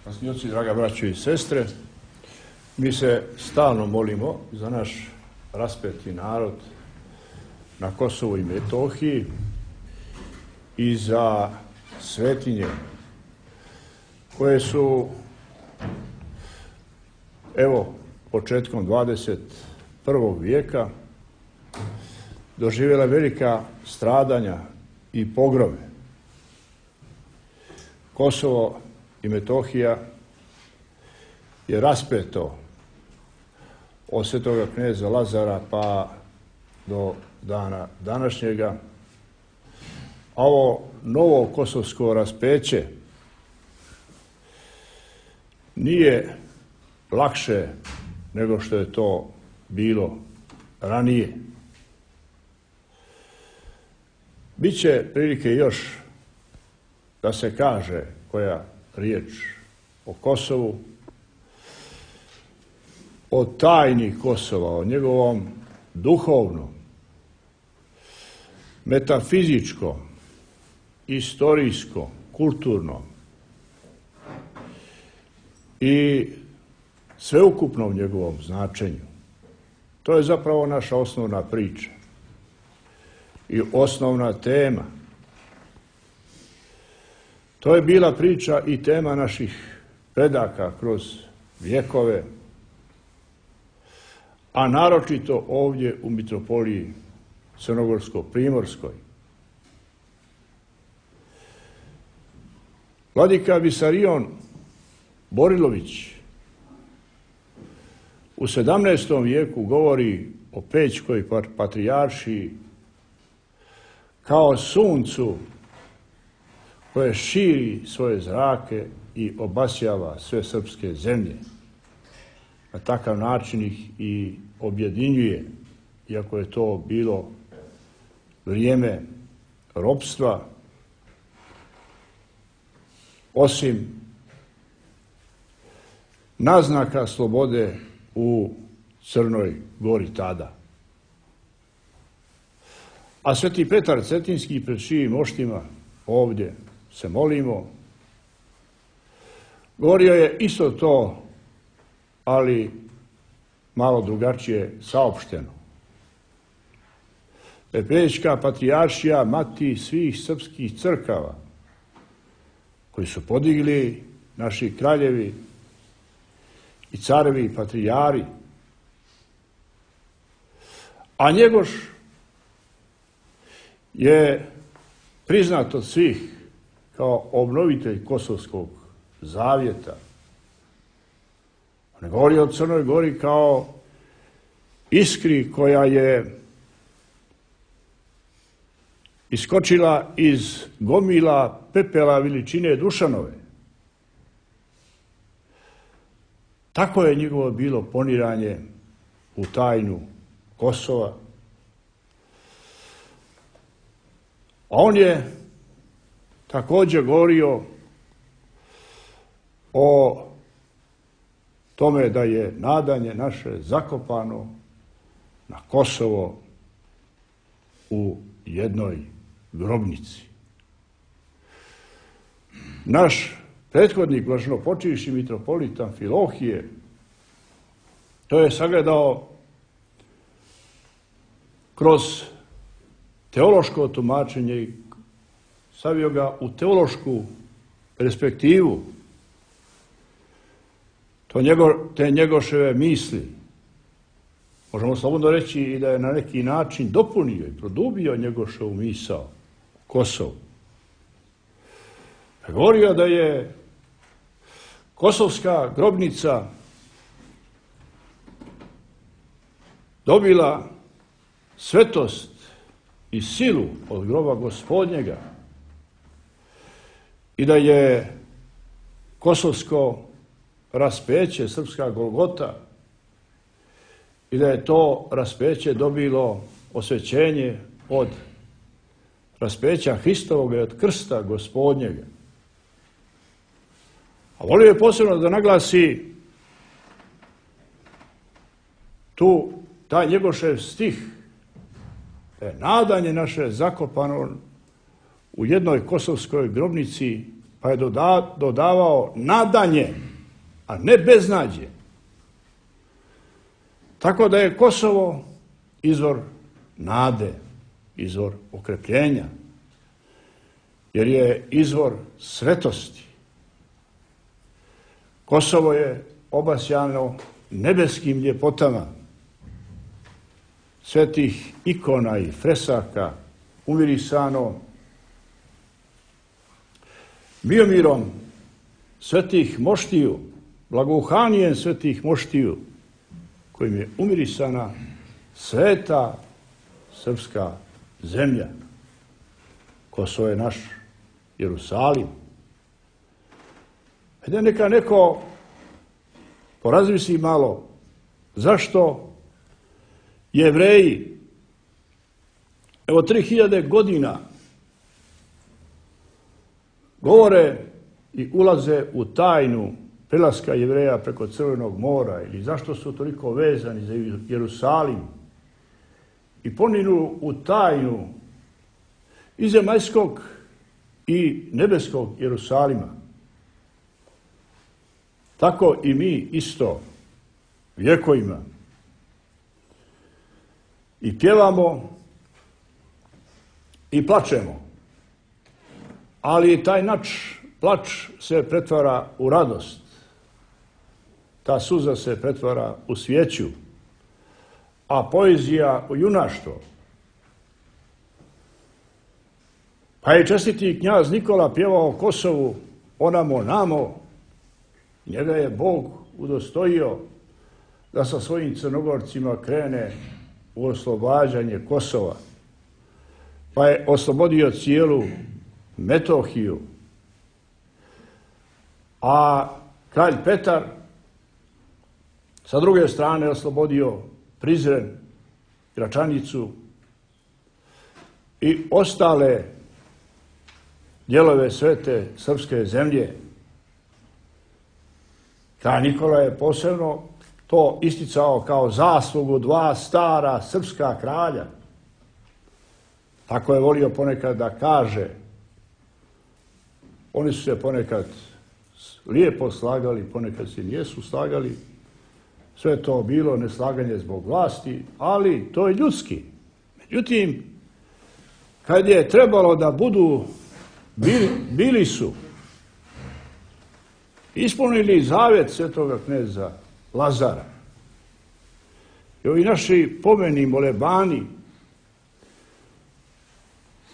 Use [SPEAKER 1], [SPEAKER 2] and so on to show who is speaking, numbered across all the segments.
[SPEAKER 1] Časnici, draga braćo i sestre, mi se stalno molimo za naš raspeti narod na Kosovu i Metohiji i za svetinje koje su, evo, početkom 21. vijeka doživjela velika stradanja i pogrome. Kosovo i Metohija je raspeto od svetoga kneza Lazara pa do dana današnjega. A ovo novo kosovsko raspeće nije lakše nego što je to bilo ranije. Biće prilike još da se kaže koja riječ o Kosovu, o tajni Kosova, o njegovom duhovnom, metafizičkom, istorijskom, kulturnom i sveukupnom njegovom značenju. To je zapravo naša osnovna priča i osnovna tema. To je bila priča i tema naših predaka kroz vjekove, a naročito ovdje u mitropoliji Crnogorsko-primorskoj. Vladika Visarion Borilović u 17. vijeku govori o Pećkoj patrijaršiji kao suncu koje širi svoje zrake i obasjava sve srpske zemlje. Na takav način ih i objedinjuje, iako je to bilo vrijeme ropstva, osim naznaka slobode u Crnoj Gori tada. A sveti Petar Cetinski, pred čijim moštima ovdje se molimo, govorio je isto to, ali malo drugačije saopšteno. Pećka patrijaršija, mati svih srpskih crkava, koji su podigli naši kraljevi i carevi i patrijari, a Njegoš je priznat od svih kao obnovitelj Kosovskog zavjeta. On govori o Crnoj Gori kao iskri koja je iskočila iz gomila pepela veličine Dušanove. Tako je njegovo bilo poniranje u tajnu Kosova. A on je također govorio o tome da je nadanje naše zakopano na Kosovo u jednoj grobnici. Naš prethodnik, blaženopočivši mitropolit Amfilohije, to je sagledao kroz teološko tumačenje i stavio ga u teološku perspektivu. Te Njegoševe misli, možemo slobodno reći i da je na neki način dopunio i produbio Njegoševu misao Kosovu. Govorio da je kosovska grobnica dobila svetost i silu od groba Gospodnjega i da je kosovsko raspeće, srpska Golgota, i da je to raspeće dobilo osvećenje od raspeća Hristovoga i od krsta Gospodnjega. A volio je posebno da naglasi taj Njegošev stih, nadanje naše zakopano u jednoj kosovskoj grobnici pa je dodavao nadanje, a ne beznađe. Tako da je Kosovo izvor nade, izvor okrepljenja, jer je izvor svetosti. Kosovo je obasjano nebeskim ljepotama, svetih ikona i fresaka, umirisano miomirom svetih moštiju, blagouhanijem svetih moštiju, kojim je umirisana sveta srpska zemlja. Kosovo je naš Jerusalim. Hajde neka neko porazmisli malo zašto Jevreji, evo 3000 godina, govore i ulaze u tajnu prelaska Jevreja preko Crvenog mora, ili zašto su toliko vezani za Jerusalim i poniru u tajnu i zemaljskog i nebeskog Jerusalima. Tako i mi isto vjekovima i pjevamo i plačemo, ali taj plač se pretvara u radost. Ta suza se pretvara u svijeću, a poezija u junaštvo. Pa je čestiti knjaz Nikola pjevao Kosovu onamo namo, njega je Bog udostojio da sa svojim Crnogorcima krene u oslobađanje Kosova, pa je oslobodio cijelu Metohiju, a kralj Petar sa druge strane oslobodio Prizren, Gračanicu i ostale dijelove svete srpske zemlje. Kralj Nikola je posebno to isticao kao zaslugu dva stara srpska kralja. Tako je volio ponekad da kaže. Oni su se ponekad lijepo slagali, ponekad se nijesu slagali. Sve je to bilo neslaganje zbog vlasti, ali to je ljudski. Međutim, kad je trebalo da budu, bili su ispunili zavjet svetoga kneza Lazara. I ovi naši pomeni molebani,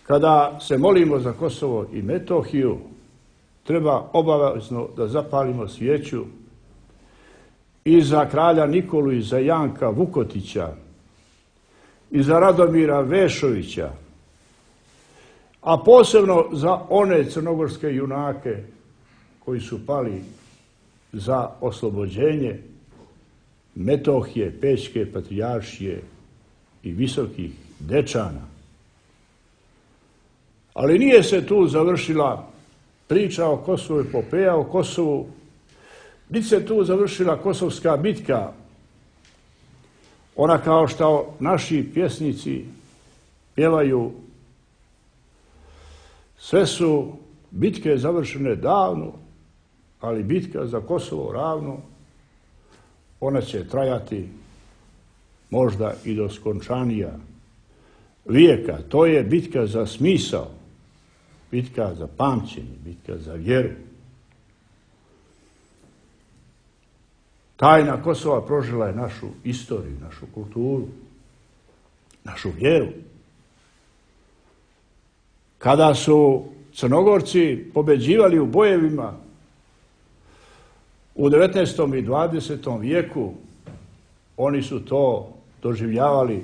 [SPEAKER 1] kada se molimo za Kosovo i Metohiju, treba obavezno da zapalimo svijeću i za kralja Nikolu i za Janka Vukotića i za Radomira Vešovića, a posebno za one crnogorske junake koji su pali za oslobođenje Metohije, Pećke patrijaršije i Visokih Dečana. Ali nije se tu završila priča o Kosovu, epopeja o Kosovu, niti se tu završila kosovska bitka, ona kao što naši pjesnici pjevaju, sve su bitke završene davno, ali bitka za Kosovo ravno, ona će trajati možda i do skončanija vijeka. To je bitka za smisao, bitka za pamćenje, bitka za vjeru. Tajna Kosova prožila je našu istoriju, našu kulturu, našu vjeru. Kada su Crnogorci pobeđivali u bojevima u 19. i 20. vijeku, oni su to doživljavali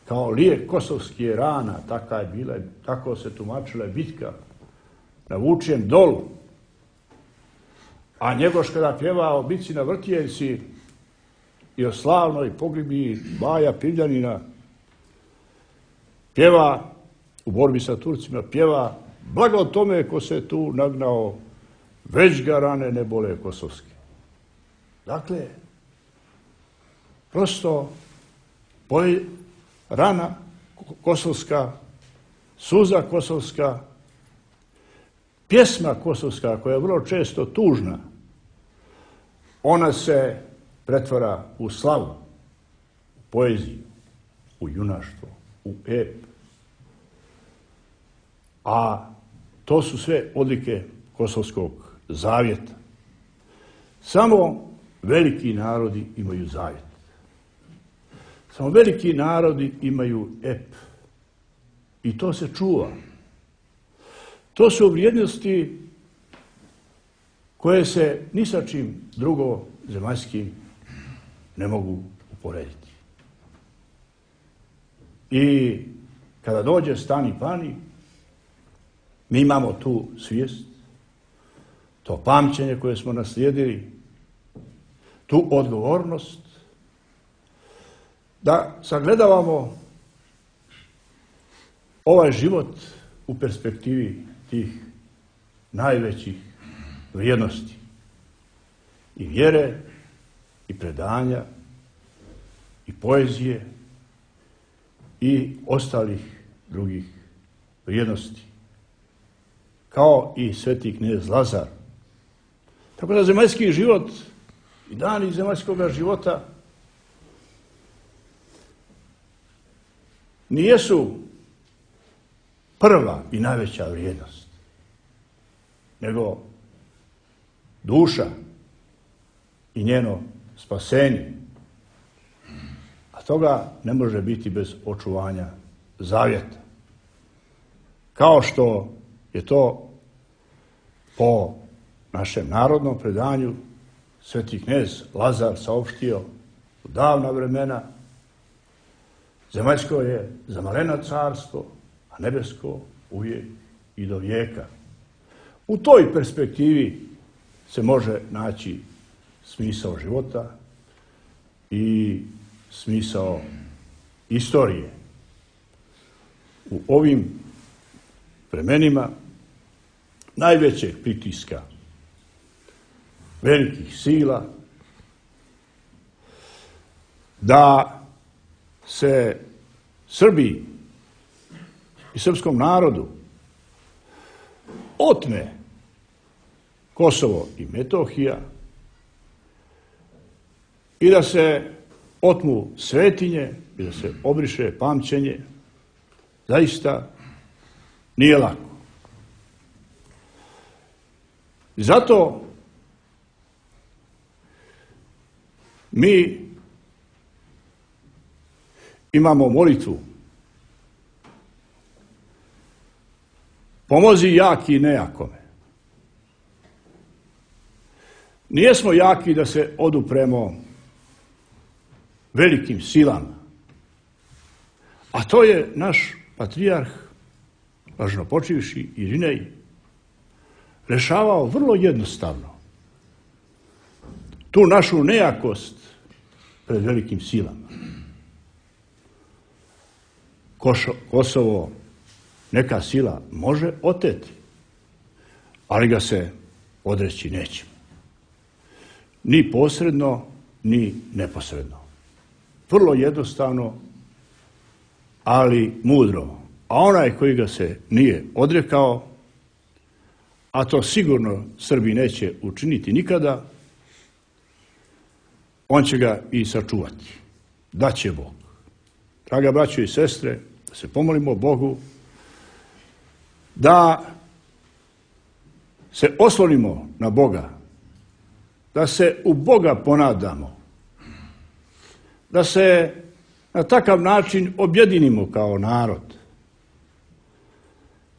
[SPEAKER 1] kao lijek kosovskih rana. Tako se tumačila bitka na Vučijem dolu. A Njegoš kada pjeva o bitci na Vrtijeljci i o slavnoj pogibiji Baja Pivljanina, pjeva u borbi sa Turcima, pjeva blago tome ko se tu nagnao, već ga rane ne bole kosovske. Dakle, prosto rana kosovska, suza kosovska, pjesma kosovska, koja je vrlo često tužna, ona se pretvara u slavu, u poeziju, u junaštvo, u ep. A to su sve odlike Kosovskog zavjeta. Samo veliki narodi imaju zavjet. Samo veliki narodi imaju ep. I to se čuva. To su vrijednosti koje se ni sa čim drugo zemaljskim ne mogu uporediti. I kada dođe stani pani, mi imamo tu svijest, to pamćenje koje smo naslijedili, tu odgovornost, da sagledavamo ovaj život u perspektivi tih najvećih vrijednosti i vjere, i predanja, i poezije, i ostalih drugih vrijednosti, kao i sveti knez Lazar. Tako da zemaljski život i dani zemaljskog života nijesu prva i najveća vrijednost, nego duša i njeno spasenje. A toga ne može biti bez očuvanja zavjeta. Kao što je to po našem narodnom predanju sveti knez Lazar saopštio u davna vremena, zemaljsko je zamaleno carstvo, a nebesko uvijek i do vijeka. U toj perspektivi se može naći smisao života i smisao istorije. U ovim vremenima najvećeg pritiska velikih sila da se Srbiji i srpskom narodu otme Kosovo i Metohija i da se otmu svetinje i da se obriše pamćenje, zaista nije lako. I zato mi imamo molitvu: pomozi jaki nejakome. Nijesmo jaki da se odupremo velikim silama, a to je naš patrijarh, blaženopočivši Irinej, rešavao vrlo jednostavno tu našu nejakost pred velikim silama. Kosovo neka sila može oteti, ali ga se odreći nećemo. Ni posredno, ni neposredno. Vrlo jednostavno, ali mudro. A onaj koji ga se nije odrekao, a to sigurno Srbi neće učiniti nikada, on će ga i sačuvati. Daće Bog. Draga braćo i sestre, da se pomolimo Bogu, da se oslonimo na Boga, da se u Boga ponadamo, da se na takav način objedinimo kao narod,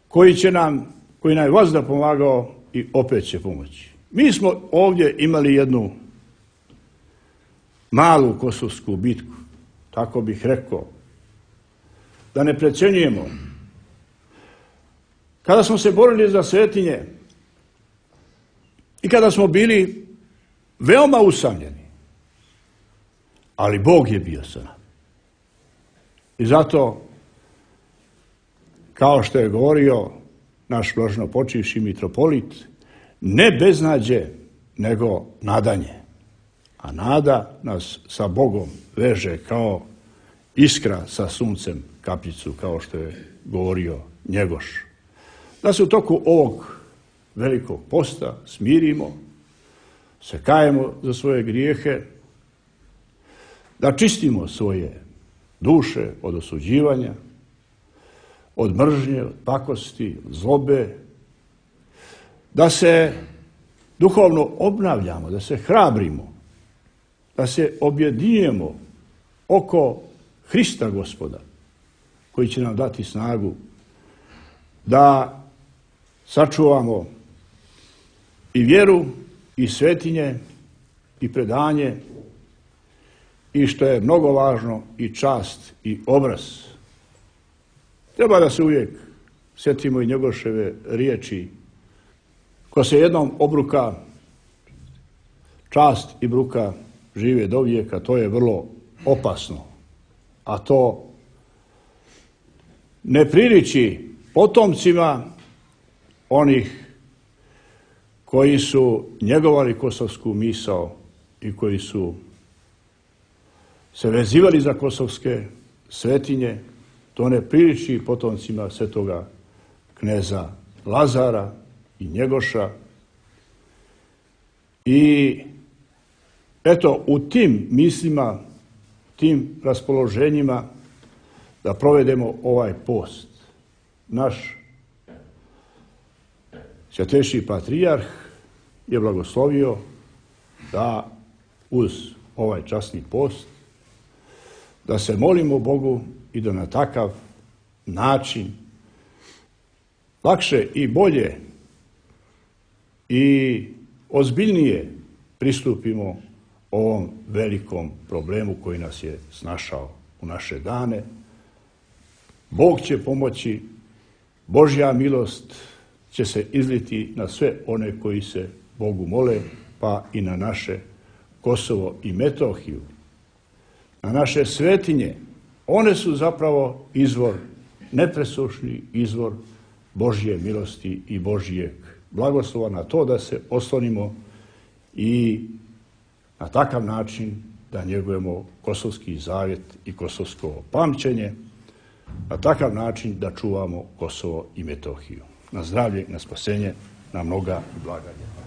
[SPEAKER 1] koji nam je vazda pomagao i opet će pomoći. Mi smo ovdje imali jednu malu kosovsku bitku, tako bih rekao, da ne precenjujemo. Kada smo se borili za svetinje i kada smo bili veoma usamljeni, ali Bog je bio sa nama. I zato, kao što je govorio naš blaženopočivši mitropolit, ne beznađe, nego nadanje. A nada nas sa Bogom veže kao iskra sa suncem kapljicu, kao što je govorio Njegoš. Da se u toku ovog velikog posta smirimo, se kajemo za svoje grijehe, da čistimo svoje duše od osuđivanja, od mržnje, od pakosti, od zlobe, da se duhovno obnavljamo, da se hrabrimo, da se objedinjujemo oko Hrista Gospoda, koji će nam dati snagu da sačuvamo i vjeru, i svetinje, i predanje, i što je mnogo važno, i čast, i obraz. Treba da se uvijek sjetimo i Njegoševe riječi: ko se jednom obruka, čast i bruka žive do vijeka. To je vrlo opasno, a to ne priliči potomcima onih koji su njegovali kosovsku misao i koji su se vezivali za kosovske svetinje. To ne priliči potomcima svetoga kneza Lazara i Njegoša. I eto, u tim mislima, tim raspoloženjima da provedemo ovaj post. Naš Svetejši patrijarh je blagoslovio da uz ovaj časni post da se molimo Bogu i da na takav način lakše i bolje i ozbiljnije pristupimo ovom velikom problemu koji nas je snašao u naše dane. Bog će pomoći, Božja milost će se izliti na sve one koji se Bogu mole, pa i na naše Kosovo i Metohiju, na naše svetinje. One su zapravo izvor, nepresušni izvor Božje milosti i Božjeg blagoslova. Na to da se oslonimo i na takav način da njegujemo kosovski zavjet i kosovsko pamćenje, na takav način da čuvamo Kosovo i Metohiju. Na zdravlje, na spasenje, na mnoga blaganja.